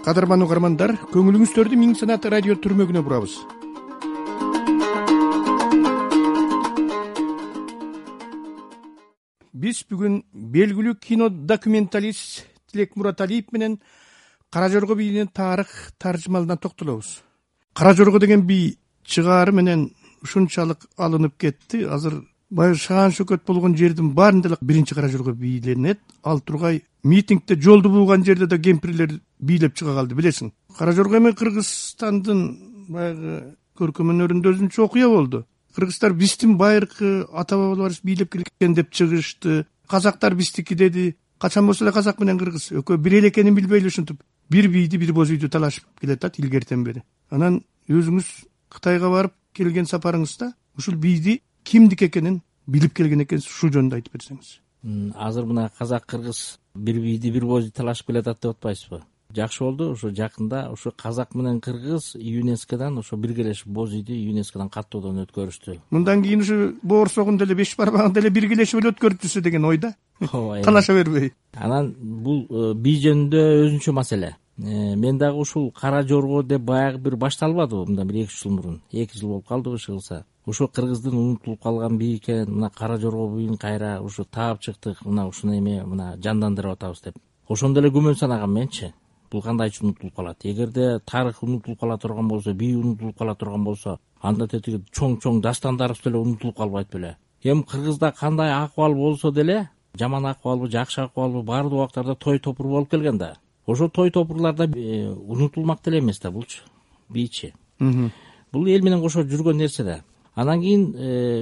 Кадырман угармандар, көңүлүңүздөрдү Миң Санат радио түрмөгүнө бурабыз. Биз бүгүн белгилүү кино документалист Тилек Мураталиев менен Кара Жорго бийинин тарых таржымалына токтолобуз. Кара Жорго деген бий чыгаары менен ушунчалык алынып кетти. Азыр баягы Шаан Шөкөт болгон жердин баарында эле биринчи Кара Жорго бийленет. Ал тургай митингде жолду бууган жерде да кемпирлер бийлеп чыга калды, билесиң. Кара Жорго эми Кыргызстандын баягы көркөм өнөрүндө өзүнчө окуя болду. Кыргыздар биздин байыркы ата бабаларыбыз бийлеп келген деп чыгышты. Казактар биздики деди. Качан болсо эле казак менен кыргыз экөө бир эле экенин билбей эле ушинтип бир бийди, бир боз үйдү талашып келатат илгертен бери. Анан өзүңүз Кытайга барып келген сапарыңызда ушул бийди кимдики экенин билип келген экенсиз, ушул жөнүндө айтып берсеңиз. Азыр мына казак кыргыз бир бийди, бир бозду талашып келатат деп атпайсызбы? Жакшы болду, ушу жакында ушу казак менен кыргыз ЮНЕСКОдан ошо биргелешип боз үйдү ЮНЕСКОдан каттоодон өткөрүштү. Мындан кийин ушу боорсогун деле беш бармагын деле биргелешип эле өткөрүп жүрсө деген ойда. Талаша бербей. Анан бул бий жөнүндө өзүнчө маселе. Мен дагы ушул Кара Жорго деп баягы бир башталбадыбы мындан бир 2 жыл мурун. 2 жыл болуп калдыбы иши кылса. Ушу кыргыздын унутулуп калган бий экен, мына Кара Жорго бийин кайра ушу таап чыктык, мына ушуну эми мына жандандырып атабыз деп. Ошондо эле күмөн санагам менчи. Бул кандайча унутулуп калат? Эгерде тарых унутулуп кала турган болсо, бий унутулуп кала турган болсо, анда тетиги чоң дастандарыбыз деле унутулуп калбайт беле? Эми кыргызда кандай акыбал болсо деле, жаман акыбалбы, жакшы акыбалбы, баардык убактарда той топур болуп келген да. Ошо той топурларда унутулмак деле эмес да булчу, бийчи. Бул эл менен кошо жүргөн нерсе да. Анан кийин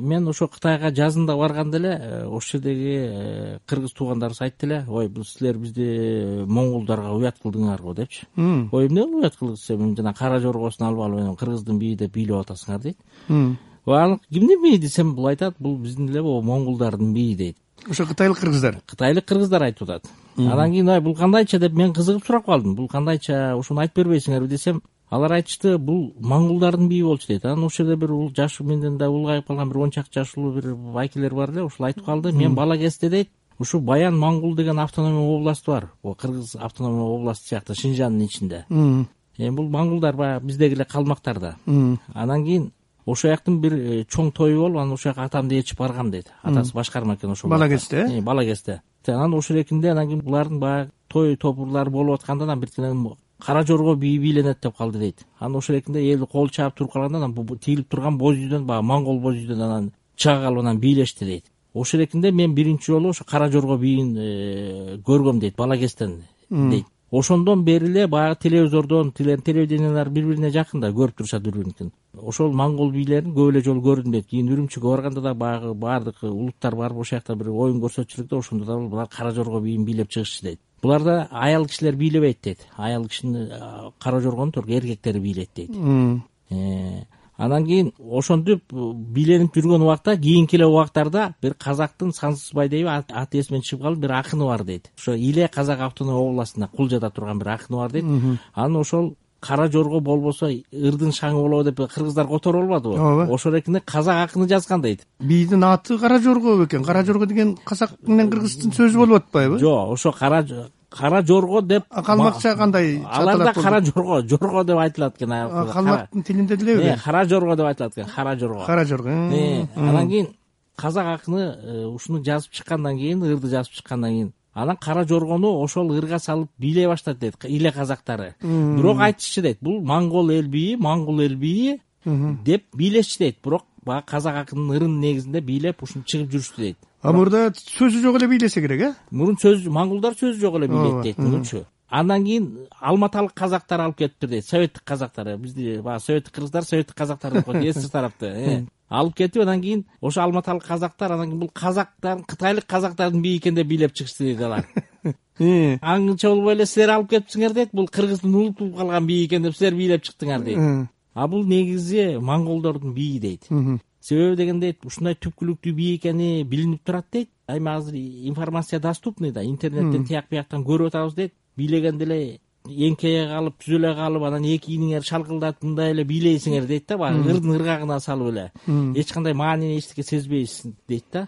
мен ошо Кытайга жазында барганда эле ошол жердеги кыргыз туугандарыбыз айтты эле, ой, бул силер бизди монголдорго уят кылдыңарбы депчи. Ой, эмне уят кылдык десем, жана Кара Жоргосун алып алып кыргыздын бийи деп бийлеп атасыңар дейт. Анан кимдин бийи десем, бул айтат, бул биздин эле монголдордун бийи дейт. Ошо кытайлык кыргыздар айтып атат. Анан кийин бул кандайча деп мен кызыгып сурап калдым. Бул кандайча, ушуну айтып бербейсиңерби десем, алар айтышты, бул монголдордун бийи болчу дейт. Анан ошол жерде бир жаш, менден да улгайып калган бир 10 чакты жаштуу бир байкелер бар эле, ушул айтып калды. Мен бала кезде дейт, ушу Баян Монгол деген автономия область бар. Кыргыз автономия областы сыяктуу Шинжандын ичинде. Бул монголдор баягы биздеги эле калмактар да. Анан кийин ошол жактын бир чоң тою болуп, анан ошол жака атамды ээрчип баргам дейт. Атасы башкарма экен ошол. Бала кезде? Бала кезде. Анан ошол экинде анан кийин булардын баягы той топурлары болуп атканда анан бирден Кара Жорго бийи бийленет деп калды дейт. Анан ошол экинде эл кол чаап туруп калганда анан бул тигилип турган боз үйдөн, баягы монгол боз үйдөн анан чыга калып анан бийлешти дейт. Ошол экинде мен биринчи жолу ошо Кара Жорго бийин көргөм дейт, бала кезден дейт. Ошондон бери эле баягы телевизордон, телевидениялар бири-бирине жакын да, көрүп турушат бири-бирин. Ошол монгол бийлерин көп эле жолу көрдүм дейт. Кийин Үрүмчүгө барганда да баягы баардык улуттар барып ошол жакта бир оюн көрсөтчүлүктө ошондо да булар Кара Жорго бийин бийлеп чыгышчу дейт. Буларда аял кишилер бийлебейт дейт. Аял кишини Кара Жоргону только эркектери бийлейт дейт. Анан кийин ошентип бийленип жүргөн убакта, кийинки эле убактарда бир казактын Сансызбай дейби, аты эсимен чыгып калды, бир акыны бар дейт. Ошо Иле казак автономия областында Кулжада турган бир акыны бар дейт. Анан ошол Кара Жорго болбосо ырдын шаңы болобу деп кыргыздар которуп албадыбы? Ошол экинде казак акыны жазган дейт. Бийдин аты Кара Жорго экен. Кара Жорго деген казак менен кыргыздын сөзү болуп атпайбы? Жок, ошо Кара Жорго деп. Калмакча кандай? Аларда Кара Жорго деп айтылат экен. Калмактын тилинде делеби? Кара Жорго деп айтылат экен. Кара Жорго. Анан кийин казак акыны ушуну жазып чыккандан кийин, ырды жазып чыккандан кийин, анан Кара Жоргону ошол ырга салып бийлей баштады дейт Иле казактары. Бирок айтышчы дейт, бул монгол эл бийи деп бийлешчү дейт. Бирок баягы казак акынын ырынын негизинде бийлеп ушуну чыгып жүрүштү дейт. Мурда сөзү жок эле бийлесе керек, Мурун монголдор сөзү жок эле бийлейт дейт мурунчу. Андан кийин алматалык казактар алып кетиптир дейт, советтик казактар. Бизди баягы советтик кыргыздар, советтик казактар деп коет, СССР тарапты. Алып кетип, анан кийин ошо алматалык казактар, анан кийин бул казактар, кытайлык казактардын бийи экен деп бийлеп чыгышты дейт алар. Аңча болбой эле силер алып кетипсиңер дейт, бул кыргыздын унутулуп калган бийи экен деп силер бийлеп чыктыңар дейт. Бул негизи монголдордун бийи дейт. Себеби дегенде ушундай түпкүлүктүү бий экени билинип турат дейт. Айма азыр информация доступный да, интернеттен тияк бияктан көрүп атабыз дейт. Бийлегенде эле эңкейе калып, түзөлө калып, анан эки ийниңер шалкылдатып мындай эле бийлейсиңер дейт да, баягы ырдын ыргагына салып эле. Эч кандай маанини эчтеке сезбейсиз дейт да.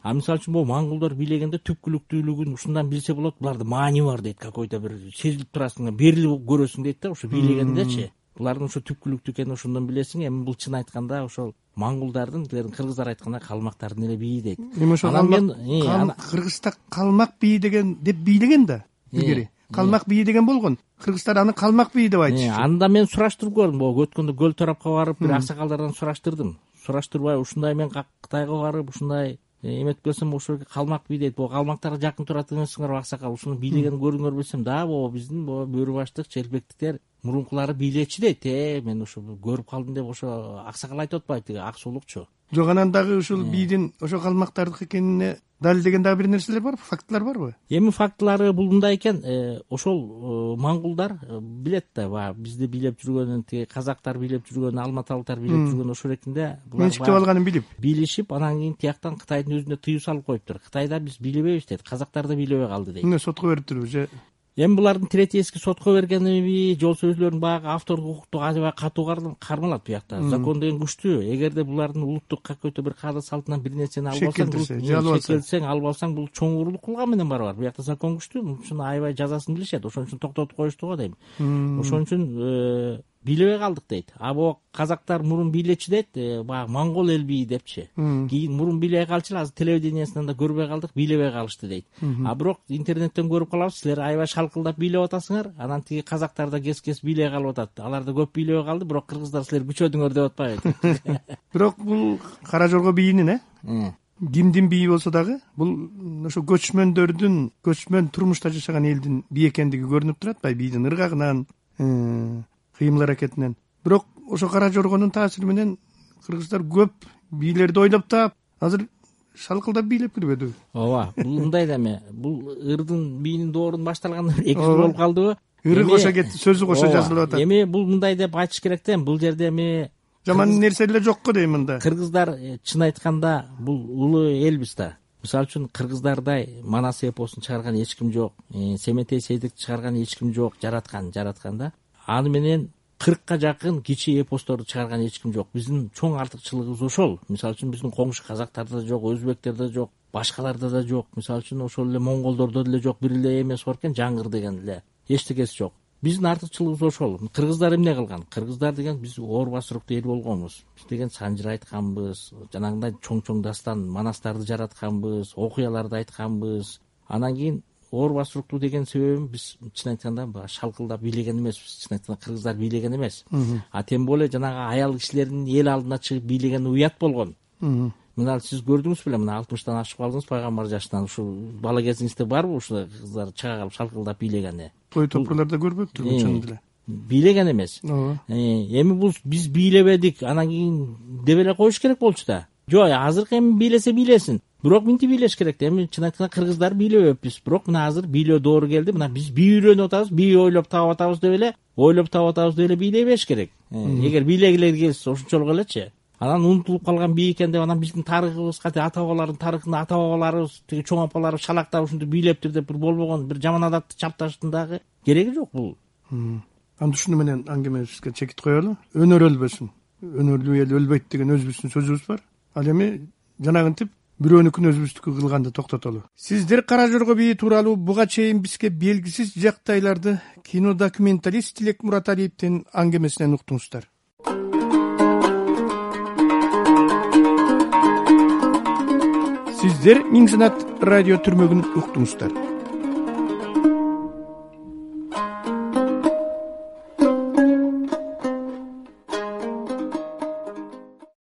А мисалы үчүн могу моңголдор бийлегенде түпкүлүктүүлүгүн ушундан билсе болот, буларда маани бар дейт, какой-то бир сезилип турасың, берилип көрөсүң дейт да, ошо бийлегендечи. Булардын ошо түпкүлүктүү экенин ошондон билесиң. Эми бул чын айтканда ошол моңголдордун, кыргыздар айтканда калмактардын эле бийи дейт. Эми ошо Кыргызста калмак бийи деген деп бийлеген да илгери. Калмак бийи деген болгон. Кыргыздар аны калмак бийи деп айтышты. Анда мен сураштырып көрдүм, могу өткөндө Көл тарапка барып бир аксакалдардан сураштырдым. Сураштырбай ушундай мен Кытайга барып ушундай эметип келсем, ошо калмак бий дейт. Бул калмактарга жакын турат эмессиңерби аксакал? Ушуну бийлегенин көрдүңөр билсем, да, могу биздин бөрү баштык, челпектиктер мурункулары бийлечи дейт. Мен ошо көрүп калдым деп ошо аксакал айтып атпайбы, тиги ак сулукчу. Жок, анан дагы ушул бийдин ошо калмактардыкы экенине далилдеген дагы бир нерселер барбы, фактылар барбы? Эми фактылары бул мындай экен, ошол моңголдар билет да, баягы бизди бийлеп жүргөнүн, тиги казактар бийлеп жүргөнүн, алматалыктар бийлеп жүргөнүн ошол эркинде менчиктеп алганын билип бийлешип, анан кийин тияктан Кытайдын өзүнө тыюу салып коюптур. Кытайда биз бийлебейбиз дейт, казактар да бийлебей калды дейт. Эмне сотко бериптирби же? Эми булардын третьески сотко бергениби, жол сөзлөрүн баягы автордук укукту аябай катуу кармалат буякта. Закон деген күчтүү. Эгерде булардын улуттук какой-то бир каада салтынан бир нерсени алып алсаң, алып алсаң, бул чоң уруулук кылган менен барабар. Буякта закон күчтүү, муну үчүн аябай жазасын билишет. Ошон үчүн токтотуп коюшту го дейм. Ошон үчүн бийлебей калдык дейт. А могу казактар мурун бийлечи дейт, баягы моңгол эл бийи депчи. Кийин мурун бийлей калчу, азыр телевидениесинен да көрбөй калдык, бийлебей калышты дейт. А бирок интернеттен көрүп калабыз, силер аябай шалкылдап бийлеп атасыңар, анан тиги казактар да кес бийлей калып атат. Алар да көп бийлебей калды, бирок кыргыздар силер күчөдүңөр деп атпайбы? Бирок бул Кара Жорго бийинин кимдин бийи болсо дагы, бул ошо көчмөн турмушта жашаган элдин бийи экендиги көрүнүп турат атпайбы, бийдин ыргагынан, кыймыл аракетинен. Бирок ошо Кара Жоргонун таасири менен кыргыздар көп бийлерди ойлоп таап, азыр шалкылдап бийлеп жүрбөдү. Ооба, бул мындай да эме, бул ырдын бийинин доорун башталгандан 2 жыл болуп калдыбы? Ыры кошо кетти, сөзү кошо жазылып атат. Эми бул мындай деп айтыш керек да, бул жерде эми жаман нерсе эле жокко дейм мында. Кыргыздар чын айтканда бул улуу элбиз да. Мисалы үчүн кыргыздардай Манас эпосун чыгарган эч ким жок, Семетей Сейдикти чыгарган эч ким жок, жараткан да. Аны менен 40ка жакын кичи эпосторду чыгарган эч ким жок. Биздин чоң артыкчылыгыбыз ошол. Мисалы үчүн биздин коңшу казактарда да жок, өзбектерде да жок, башкаларда да жок. Мисалы үчүн ошол эле монголдордо деле жок, бир эле эмес бар экен, жаңгыр деген эле. Эчтекеси жок. Биздин артыкчылыгыбыз ошол. Кыргыздар эмне кылган? Кыргыздар деген биз оор басыруктуу эл болгонбуз. Биз деген санжыр айтканбыз, жанагындай чоң дастан манастарды жаратканбыз, окуяларды айтканбыз. Анан кийин оор басыруктуу деген себебим биз чын айтканда шалкылдап бийлеген эмеспиз. Чын айтканда кыргыздар бийлеген эмес. А тем более жанагы аял кишилердин эл алдына чыгып бийлеген уят болгон. Мына сиз көрдүңүз беле, мына 60-тан ашып калдыңыз пайгамбар жашынан. Ушул бала кезиңизде барбы ушул кыздар чыга калып шалкылдап бийлегени? Той топурларда көрбөптүрмүн чын эле. Бийлеген эмес. Эми бул биз бийлебедик, анан кийин деп эле коюш керек болчу да. Жок, азыркы эми бийлесе бийлесин. Бирок минти бийлеш керек да. Эми чын айтканда кыргыздар бийлебеппиз. Бирок мына азыр бийлөө доору келди. Мына биз бий үйрөнүп атабыз, бий ойлоп таап атабыз деп эле бийлей бериш керек. Эгер бийлегилер келсе ошончолук элечи. Анан унутулуп калган бий экен деп, анан биздин тарыхыбызга, ата бабалардын тарыхында ата бабаларыбыз, тиги чоң апаларыбыз шалактап ушинтип бийлептир деп бир болбогон бир жаман адатты чапташтын дагы кереги жок бул. Анда ушуну менен аңгемебизге чекит коелу. Өнөр өлбөсүн. Өнөрлүү эл өлбөйт деген өзүбүздүн сөзүбүз бар. Ал эми жанагынтип бирөөнүкүн өзүбүздүкү кылганды токтотолу. Сиздер Кара Жорго бийи тууралуу буга чейин бизге белгисиз жактайларды кинодокументалист Тилек Мураталиевдин аңгемесинен уктуңуздар. Сиздер Миң Санат радио түрмөгүн уктуңуздар.